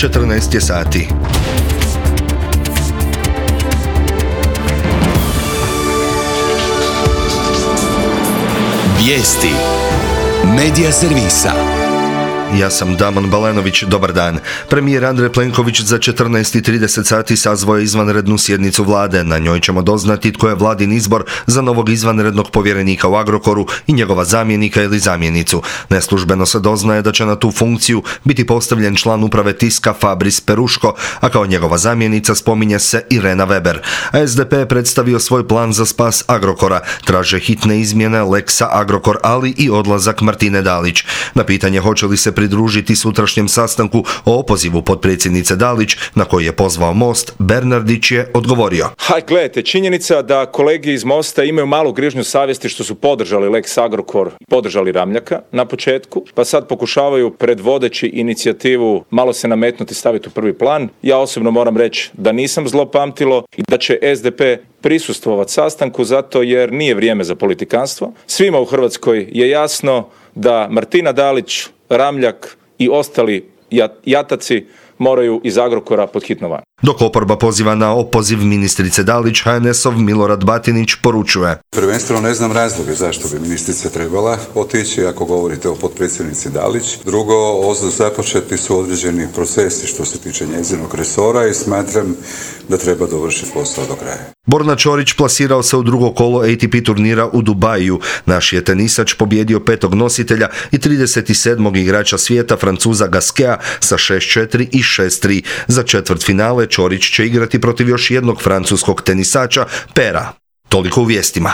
14 je sati. Vijesti Medija servisa. Ja sam Damon Balenović, dobar dan. Premijer Andrej Plenković za 14:30 sati sazvao je izvanrednu sjednicu vlade. Na njoj ćemo doznati tko je vladin izbor za novog izvanrednog povjerenika u Agrokoru i njegova zamjenika ili zamjenicu. Neslužbeno se doznaje da će na tu funkciju biti postavljen član uprave Tiska Fabris Peruško, a kao njegova zamjenica spominje se Irena Weber. A SDP je predstavio svoj plan za spas Agrokora. Traže hitne izmjene Lexa Agrokor, ali i odlazak Martine Dalić. Na pitanje hoće li se pridružiti sutrašnjem sastanku o opozivu potpredsjednice Dalić, na koji je pozvao Most, Bernardić je odgovorio. Gledajte, činjenica da kolege iz Mosta imaju malu grižnju savjesti što su podržali Lex Agrokor, podržali Ramljaka na početku, pa sad pokušavaju predvodeći inicijativu malo se nametnuti, staviti u prvi plan. Ja osobno moram reći da nisam zlopamtilo i da će SDP prisustvovati sastanku zato jer nije vrijeme za politikanstvo. Svima u Hrvatskoj je jasno da Martina Dalić, Ramljak i ostali jataci moraju iz Agrokora pod hitno van. Dok oporba poziva na opoziv ministrice Dalić, HNS-ov Milorad Batinić poručuje. Prvenstveno ne znam razloge zašto bi ministrica trebala otići ako govorite o potpredsjednici Dalić. Drugo, započeti su određeni procesi što se tiče njezinog resora i smatram da treba dovršiti posao do kraja. Borna Ćorić plasirao se u drugo kolo ATP turnira u Dubaju. Naš je tenisač pobjedio 5. nositelja i 37. igrača svijeta Francuza Gaskea sa 6-4 i 6-3. Za četvrtfinale Ćorić će igrati protiv još jednog francuskog tenisača, Pera. Toliko u vijestima.